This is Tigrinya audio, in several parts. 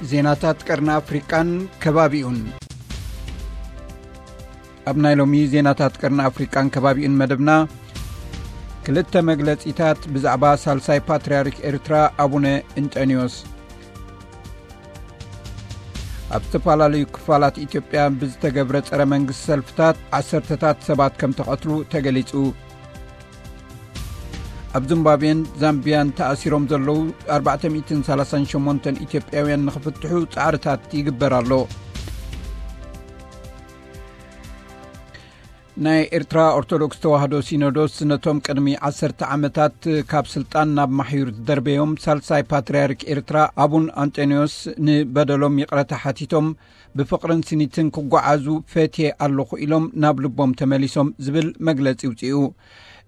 ዜናታት ቀርኒ ኣፍሪቃን ከባቢኡን። ኣብ ናይ ሎሚ ዜናታት ቀርኒ ኣፍሪቃን ከባቢኡን መደብና፣ ክልተ መግለጺታት ብዛዕባ ሳልሳይ ፓትርያርክ ኤርትራ ኣቡነ እንጠንዮስ። ኣብ ዝተፈላለዩ ክፋላት ኢትዮጵያ ብዝተገብረ ጸረ መንግስቲ ሰልፍታት ዓሰርተታት ሰባት ከም ተቐትሉ ተገሊጹ። ኣብ ዚምባብዌን ዛምቢያን ተኣሲሮም ዘለዉ ኣርባዕተ ሚእትን ሰላሳን ሸሞንተን ኢትዮጵያውያን ንኽፍትሑ ጻዕርታት ይግበር ኣሎ። ናይ ኤርትራ ኦርቶዶክስ ተዋህዶ ሲኖዶስ ነቶም ቅድሚ ዓሰርተ ዓመታት ካብ ስልጣን ናብ ማሕዩር ዝደርበዮም ሳልሳይ ፓትርያርክ ኤርትራ ኣቡን ኣንጠንዮስ ንበደሎም ይቕረታ ሓቲቶም ብፍቕርን ስኒትን ክጓዓዙ ፈትየ ኣለኹ ኢሎም ናብ ልቦም ተመሊሶም ዝብል መግለጺ ውጽኡ።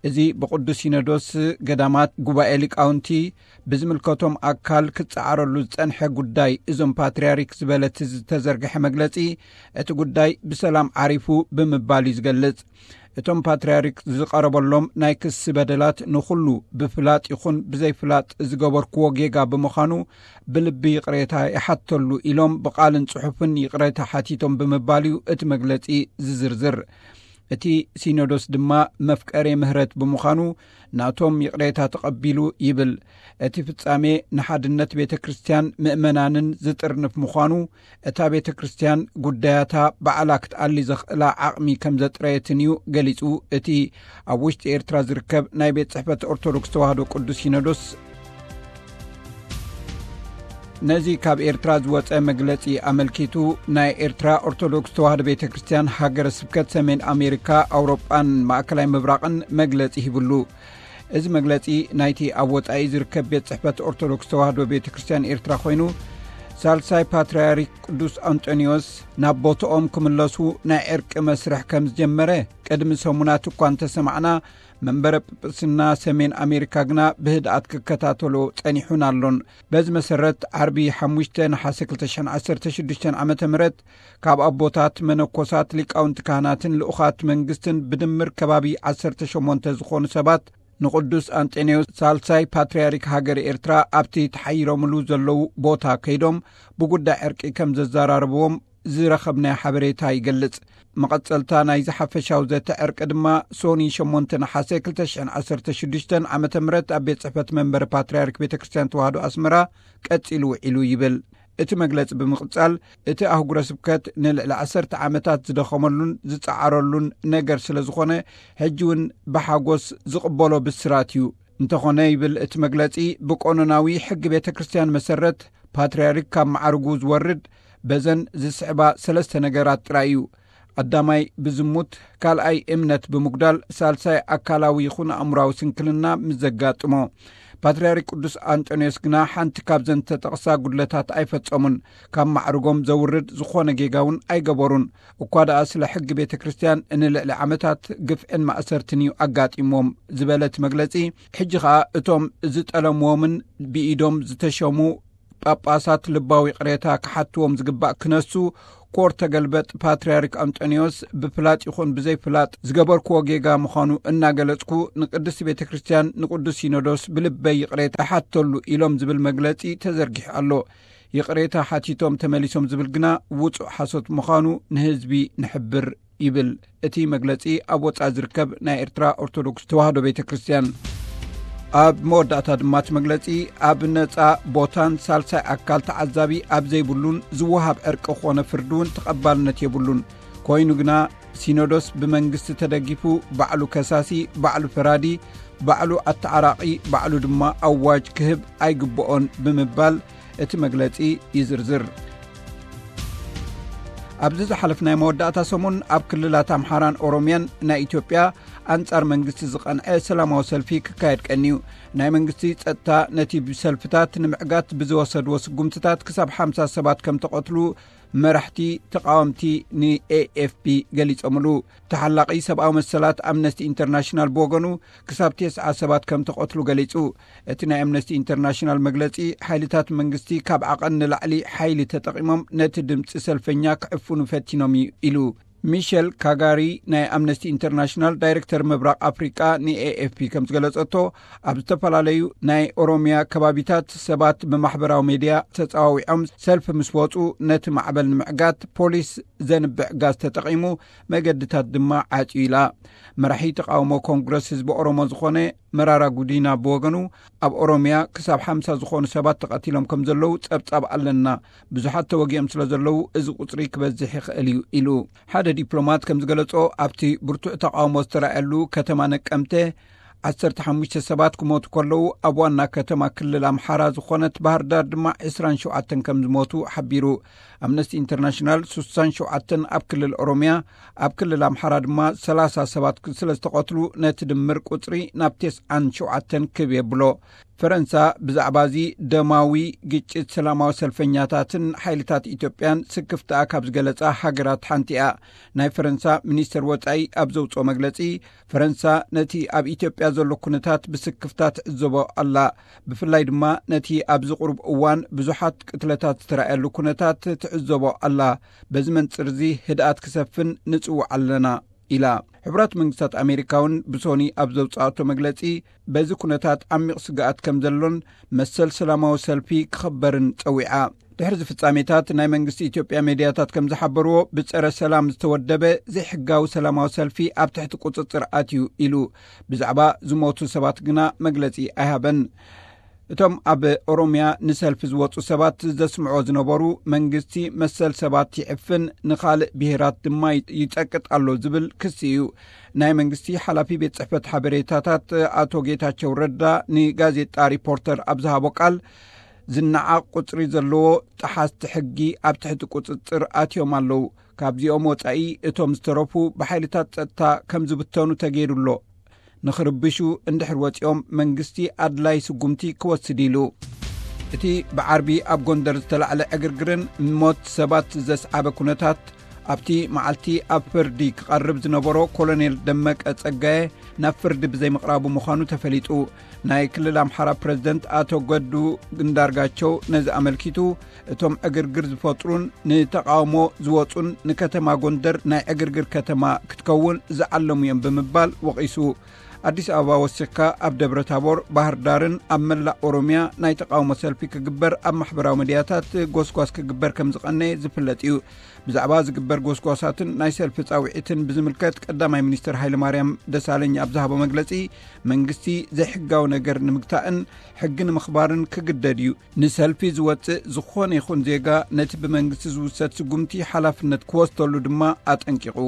እዚ ብቅዱስ ሲኖዶስ ገዳማት ጉባኤ ሊቃውንቲ ብዝምልከቶም ኣካል ክጸዓረሉ ዝጸንሐ ጉዳይ እዞም ፓትርያርክ ዝበለት ዝተዘርግሐ መግለጺ፣ እቲ ጉዳይ ብሰላም ዓሪፉ ብምባል እዩ ዝገልጽ። እቶም ፓትርያርክ ዝቐረበሎም ናይ ክሲ በደላት ንኹሉ ብፍላጥ ይኹን ብዘይፍላጥ ዝገበርክዎ ጌጋ ብምዃኑ ብልቢ ይቕሬታ ይሓተሉ ኢሎም ብቓልን ጽሑፍን ይቕሬታ ሓቲቶም ብምባል እዩ እቲ መግለጺ ዝዝርዝር። እቲ ሲኖዶስ ድማ መፍቀሬ ምህረት ብምዃኑ ናቶም ይቕሬታ ተቐቢሉ ይብል። እቲ ፍጻሜ ንሓድነት ቤተ ክርስቲያን ምእመናንን ዝጥርንፍ ምዃኑ፣ እታ ቤተ ክርስቲያን ጉዳያታ ባዕላ ክትኣሊ ዘኽእላ ዓቕሚ ከም ዘጥረየትን እዩ ገሊጹ። እቲ ኣብ ውሽጢ ኤርትራ ዝርከብ ናይ ቤት ጽሕፈት ኦርቶዶክስ ተዋህዶ ቅዱስ ሲኖዶስ ነዚ ካብ ኤርትራ ዝወጸ መግለጺ ኣመልኪቱ፣ ናይ ኤርትራ ኦርቶዶክስ ተዋህዶ ቤተ ክርስቲያን ሃገረ ስብከት ሰሜን ኣሜሪካ፣ ኣውሮጳን ማእከላይ ምብራቕን መግለጺ ሂብሉ። እዚ መግለጺ ናይቲ ኣብ ወጻኢ ዝርከብ ቤት ጽሕፈት ኦርቶዶክስ ተዋህዶ ቤተ ክርስቲያን ኤርትራ ኮይኑ፣ ሳልሳይ ፓትርያርክ ቅዱስ ኣንጦንዮስ ናብ ቦታኦም ክምለሱ ናይ ዕርቂ መስርሕ ከም ዝጀመረ ቅድሚ ሰሙናት እኳ እንተሰማዕና፣ መንበረ ጵጵስና ሰሜን ኣሜሪካ ግና ብህድኣት ክከታተሎ ጸኒሑን ኣሎን። በዚ መሰረት፣ ዓርቢ ሓሙሽተ ነሓሰ ክልተ ሽሕን ዓሰርተ ሽዱሽተን ዓመተ ምህረት ካብ ኣቦታት፣ መነኮሳት፣ ሊቃውንቲ ካህናትን ልኡኻት መንግስትን ብድምር ከባቢ ዓሰርተ ሸሞንተ ዝኾኑ ሰባት ንቅዱስ ኣንጠንዮስ ሳልሳይ ፓትርያርክ ሃገረ ኤርትራ ኣብቲ ተሓይሮምሉ ዘለዉ ቦታ ከይዶም ብጉዳይ ዕርቂ ከም ዘዘራረብዎም ዝረኸብናዮ ሓበሬታ ይገልጽ። መቐጸልታ ናይዚ ሓፈሻዊ ዘተ ዕርቂ ድማ ሶኒ ሸሞንተ ነሓሰ ክልተ ሽሕን ዓሰርተ ሽዱሽተን ዓመተ ምህረት ኣብ ቤት ጽሕፈት መንበሪ ፓትርያርክ ቤተ ክርስቲያን ተዋህዶ ኣስመራ ቀጺሉ ውዒሉ ይብል። እቲ መግለጺ ብምቕጻል፣ እቲ ኣህጉረ ስብከት ንልዕሊ ዓሰርተ ዓመታት ዝደኸመሉን ዝጸዓረሉን ነገር ስለ ዝኾነ፣ ሕጂ እውን ብሓጎስ ዝቕበሎ ብስራት እዩ። እንተኾነ፣ ይብል እቲ መግለጺ፣ ብቀኖናዊ ሕጊ ቤተ ክርስቲያን መሰረት፣ ፓትርያርክ ካብ መዓርጉ ዝወርድ በዘን ዝስዕባ ሰለስተ ነገራት ጥራይ እዩ። ቀዳማይ ብዝሙት፣ ካልኣይ እምነት ብምጉዳል፣ ሳልሳይ ኣካላዊ ይኹን ኣእምራዊ ስንክልና ምስ ዘጋጥሞ። ፓትርያርክ ቅዱስ ኣንጦንዮስ ግና ሓንቲ ካብዘን ተጠቕሳ ጉድለታት ኣይፈጸሙን። ካብ ማዕርጎም ዘውርድ ዝኾነ ጌጋ እውን ኣይገበሩን። እኳ ደኣ ስለ ሕጊ ቤተ ክርስቲያን ንልዕሊ ዓመታት ግፍዕን ማእሰርትን እዩ ኣጋጢምዎም ዝበለ እቲ መግለጺ፣ ሕጂ ኸኣ እቶም ዝጠለምዎምን ብኢዶም ዝተሸሙ ጳጳሳት ልባዊ ይቕሬታ ክሓትዎም ዝግባእ ክነሱ፣ ኮር ተገልበጥ ፓትርያርክ ኣንጦንዮስ ብፍላጥ ይኹን ብዘይፍላጥ ዝገበርክዎ ጌጋ ምዃኑ እናገለጽኩ፣ ንቅድስቲ ቤተ ክርስቲያን ንቅዱስ ሲኖዶስ ብልበይ ይቕሬታ እሓተሉ ኢሎም ዝብል መግለጺ ተዘርጊሑ ኣሎ። ይቕሬታ ሓቲቶም ተመሊሶም ዝብል ግና ውጹእ ሓሶት ምዃኑ ንህዝቢ ንሕብር ይብል እቲ መግለጺ ኣብ ወጻኢ ዝርከብ ናይ ኤርትራ ኦርቶዶክስ ተዋህዶ ቤተ ክርስቲያን። ኣብ መወዳእታ ድማ እቲ መግለጺ ኣብ ነጻ ቦታን ሳልሳይ ኣካል ተዓዛቢ ኣብ ዘይብሉን ዝወሃብ ዕርቂ ኮነ ፍርዲ እውን ተቐባልነት የብሉን። ኮይኑ ግና ሲኖዶስ ብመንግስቲ ተደጊፉ ባዕሉ ከሳሲ፣ ባዕሉ ፈራዲ፣ ባዕሉ ኣተዓራቒ፣ ባዕሉ ድማ ኣዋጅ ክህብ ኣይግብኦን ብምባል እቲ መግለጺ ይዝርዝር። ኣብዚ ዝሓለፍናይ መወዳእታ ሰሙን ኣብ ክልላት ኣምሓራን ኦሮምያን ናይ ኢትዮጵያ ኣንጻር መንግስቲ ዝቐንዐ ሰላማዊ ሰልፊ ክካየድ ቀንዩ። ናይ መንግስቲ ጸጥታ ነቲ ብሰልፍታት ንምዕጋት ብዝወሰድዎ ስጉምትታት ክሳብ ሓምሳ ሰባት ከም ተቐትሉ መራሕቲ ተቓወምቲ ንኤኤፍፒ ገሊጾምሉ። ተሓላቒ ሰብኣዊ መሰላት ኣምነስቲ ኢንተርናሽናል ብወገኑ ክሳብ ተስዓ ሰባት ከም ተቐትሉ ገሊጹ። እቲ ናይ ኣምነስቲ ኢንተርናሽናል መግለጺ፣ ሓይልታት መንግስቲ ካብ ዓቐን ንላዕሊ ሓይሊ ተጠቒሞም ነቲ ድምጺ ሰልፈኛ ክዕፍኑ ፈቲኖም እዩ ኢሉ። ሚሸል ካጋሪ፣ ናይ ኣምነስቲ ኢንተርናሽናል ዳይሬክተር ምብራቕ ኣፍሪቃ፣ ንኤኤፍፒ ከም ዝገለጸቶ፣ ኣብ ዝተፈላለዩ ናይ ኦሮሚያ ከባቢታት ሰባት ብማሕበራዊ ሜድያ ተጻዋዊዖም ሰልፊ ምስ ወጹ፣ ነቲ ማዕበል ንምዕጋት ፖሊስ ዘንብዕ ጋዝ ተጠቒሙ፣ መገድታት ድማ ዓጽዩ ኢላ። መራሒ ተቃውሞ ኮንግረስ ህዝቢ ኦሮሞ ዝኾነ መራራ ጉዲና ብወገኑ፣ ኣብ ኦሮሚያ ክሳብ ሓምሳ ዝኾኑ ሰባት ተቐቲሎም ከም ዘለዉ ጸብጻብ ኣለና። ብዙሓት ተወጊኦም ስለ ዘለዉ፣ እዚ ቁጽሪ ክበዝሕ ይኽእል እዩ ኢሉ። ሓደ ዲፕሎማት ከም ዝገለጾ፣ ኣብቲ ብርቱዕ ተቃውሞ ዝተራእየሉ ከተማ ነቀምተ ዓሰርተ ሓሙሽተ ሰባት ክሞቱ ከለዉ፣ ኣብ ዋና ከተማ ክልል ኣምሓራ ዝኾነት ባህር ዳር ድማ ዕስራን ሸውዓተን ከም ዝሞቱ ሓቢሩ። ኣምነስቲ ኢንተርናሽናል፣ ስሳን ሸውዓተን ኣብ ክልል ኦሮሚያ፣ ኣብ ክልል ኣምሓራ ድማ ሰላሳ ሰባት ስለ ዝተቐትሉ፣ ነቲ ድምር ቁጽሪ ናብ ተስዓን ሸውዓተን ክብ የብሎ። ፈረንሳ ብዛዕባ እዚ ደማዊ ግጭት ሰላማዊ ሰልፈኛታትን ሓይልታት ኢትዮጵያን ስክፍታኣ ካብ ዝገለጻ ሃገራት ሓንቲ እያ። ናይ ፈረንሳ ሚኒስተር ወጻኢ ኣብ ዘውጽኦ መግለጺ፣ ፈረንሳ ነቲ ኣብ ኢትዮጵያ ዘሎ ኩነታት ብስክፍታ ትዕዘቦ ኣላ። ብፍላይ ድማ ነቲ ኣብዚ ቁሩብ እዋን ብዙሓት ቅትለታት ዝተራእየሉ ኩነታት ትዕዘቦ ኣላ። በዚ መንጽር እዚ ህድኣት ክሰፍን ንጽውዕ ኣለና ኢላ። ሕቡራት መንግስታት ኣሜሪካ እውን ብሶኒ ኣብ ዘውጽኣቶ መግለጺ፣ በዚ ኩነታት ዓሚቕ ስግኣት ከም ዘሎን መሰል ሰላማዊ ሰልፊ ክኽበርን ጸዊዓ። ድሕሪ እዚ ፍጻሜታት፣ ናይ መንግስቲ ኢትዮጵያ ሜድያታት ከም ዝሓበርዎ፣ ብጸረ ሰላም ዝተወደበ ዘይሕጋዊ ሰላማዊ ሰልፊ ኣብ ትሕቲ ቁጽጽር ኣትዩ ኢሉ። ብዛዕባ ዝሞቱ ሰባት ግና መግለጺ ኣይሃበን። እቶም ኣብ ኦሮሚያ ንሰልፊ ዝወጹ ሰባት ዘስምዖ ዝነበሩ፣ መንግስቲ መሰል ሰባት ይዕፍን፣ ንኻልእ ብሄራት ድማ ይጸቅጥ ኣሎ ዝብል ክሲ እዩ። ናይ መንግስቲ ሓላፊ ቤት ጽሕፈት ሓበሬታታት ኣቶ ጌታቸው ረዳ ንጋዜጣ ሪፖርተር ኣብ ዝሃቦ ቃል፣ ዝነዓቕ ቁጽሪ ዘለዎ ጠሓስቲ ሕጊ ኣብ ትሕቲ ቁጽጽር ኣትዮም ኣለዉ። ካብዚኦም ወጻኢ እቶም ዝተረፉ ብሓይልታት ጸጥታ ከም ዝብተኑ ተገይሩ ኣሎ። ንኽርብሹ እንድሕር ወጺኦም መንግስቲ ኣድላይ ስጉምቲ ክወስድ ኢሉ። እቲ ብዓርቢ ኣብ ጎንደር ዝተላዕለ ዕግርግርን ሞት ሰባት ዘስዓበ ኩነታት ኣብቲ መዓልቲ ኣብ ፍርዲ ክቐርብ ዝነበሮ ኮሎኔል ደመቀ ጸጋየ ናብ ፍርዲ ብዘይምቕራቡ ምዃኑ ተፈሊጡ። ናይ ክልል ኣምሓራ ፕረዚደንት ኣቶ ገዱ እንዳርጋቸው ነዚ ኣመልኪቱ፣ እቶም ዕግርግር ዝፈጥሩን ንተቃውሞ ዝወጹን ንከተማ ጎንደር ናይ ዕግርግር ከተማ ክትከውን ዝዓለሙ እዮም ብምባል ወቒሱ። ኣዲስ ኣበባ ወሲኽካ ኣብ ደብረ ታቦር፣ ባህር ዳርን ኣብ መላእ ኦሮሚያ ናይ ተቃውሞ ሰልፊ ክግበር ኣብ ማሕበራዊ ሚድያታት ጎስጓስ ክግበር ከም ዝቐነየ ዝፍለጥ እዩ። ብዛዕባ ዝግበር ጎስጓሳትን ናይ ሰልፊ ጻውዒትን ብዝምልከት ቀዳማይ ሚኒስትር ሃይለማርያም ደሳለኝ ኣብ ዝሃቦ መግለጺ፣ መንግስቲ ዘይሕጋዊ ነገር ንምግታእን ሕጊ ንምኽባርን ክግደድ እዩ። ንሰልፊ ዝወጽእ ዝኾነ ይኹን ዜጋ ነቲ ብመንግስቲ ዝውሰድ ስጉምቲ ሓላፍነት ክወስደሉ ድማ ኣጠንቂቑ።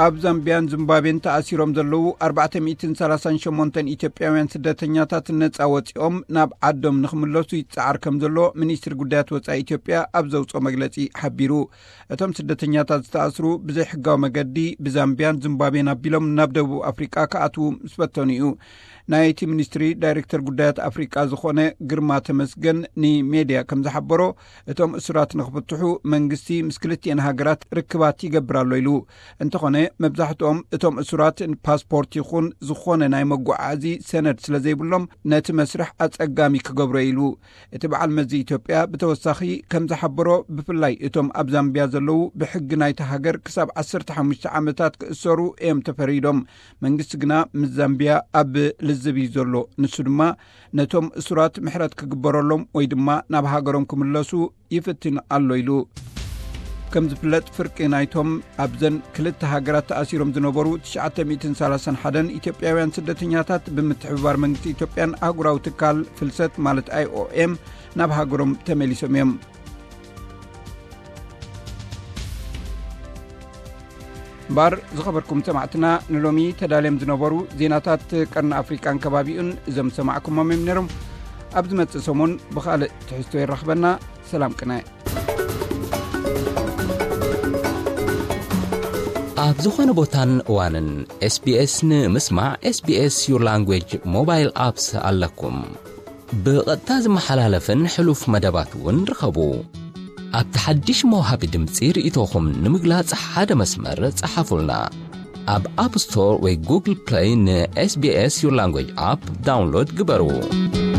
ኣብ ዛምቢያን ዚምባብዌን ተኣሲሮም ዘለዉ ኣርባዕተ ሚእትን ሰላሳን ሸሞንተን ኢትዮጵያውያን ስደተኛታት ነጻ ወጺኦም ናብ ዓዶም ንኽምለሱ ይጸዓር ከም ዘሎ ሚኒስትሪ ጉዳያት ወጻኢ ኢትዮጵያ ኣብ ዘውጽኦ መግለጺ ሓቢሩ። እቶም ስደተኛታት ዝተኣስሩ ብዘይሕጋዊ መገዲ ብዛምቢያን ዚምባብዌን ኣቢሎም ናብ ደቡብ ኣፍሪቃ ክኣትዉ ምስ ፈተኑ እዩ። ናይቲ ሚኒስትሪ ዳይሬክተር ጉዳያት ኣፍሪቃ ዝኾነ ግርማ ተመስገን ንሜድያ ከም ዝሓበሮ፣ እቶም እሱራት ንኽፍትሑ መንግስቲ ምስ ክልቲኤን ሃገራት ርክባት ይገብር ኣሎ ኢሉ። እንተኾነ፣ መብዛሕትኦም እቶም እሱራት ፓስፖርት ይኹን ዝኾነ ናይ መጓዓዚ ሰነድ ስለ ዘይብሎም፣ ነቲ መስርሕ ኣጸጋሚ ክገብሮ ኢሉ። እቲ በዓል መዚ ኢትዮጵያ ብተወሳኺ ከም ዝሓበሮ፣ ብፍላይ እቶም ኣብ ዛምቢያ ዘለዉ ብሕጊ ናይቲ ሃገር ክሳብ ዓሰርተ ሓሙሽተ ዓመታት ክእሰሩ እዮም ተፈሪዶም። መንግስቲ ግና ምስ ዛምቢያ ኣብ ልዝብ እዩ ዘሎ። ንሱ ድማ ነቶም እሱራት ምሕረት ክግበረሎም ወይ ድማ ናብ ሃገሮም ክምለሱ ይፍትን ኣሎ ኢሉ። ከም ዝፍለጥ፣ ፍርቂ ናይቶም ኣብዘን ክልተ ሃገራት ተኣሲሮም ዝነበሩ ትሽዓተ ሚእትን ሰላሳን ሓደን ኢትዮጵያውያን ስደተኛታት ብምትሕብባር መንግስቲ ኢትዮጵያን ኣህጉራዊ ትካል ፍልሰት ማለት ኣይኦኤም ናብ ሃገሮም ተመሊሶም እዮም። እምበር ዝኸበርኩም ሰማዕትና፣ ንሎሚ ተዳልዮም ዝነበሩ ዜናታት ቀርኒ ኣፍሪቃን ከባቢኡን እዞም ሰማዕኩሞም እዮም ነይሮም። ኣብ ዝመጽእ ሰሙን ብኻልእ ትሕዝቶ የራኽበና። ሰላም ቅነ። ኣብ ዝኾነ ቦታን እዋንን ኤስቢኤስ ንምስማዕ፣ SBS Your Language ሞባይል ኣፕስ ኣለኩም። ብቐጥታ ዝመሓላለፍን ሕሉፍ መደባት እውን ርኸቡ። ኣብቲ ሓድሽ መውሃቢ ድምጺ ርእይቶኹም ንምግላጽ ሓደ መስመር ጸሓፉልና። ኣብ ኣፕ ስቶር ወይ ጉግል ፕለይ ን SBS Your Language ኣፕ ዳውንሎድ ግበሩ።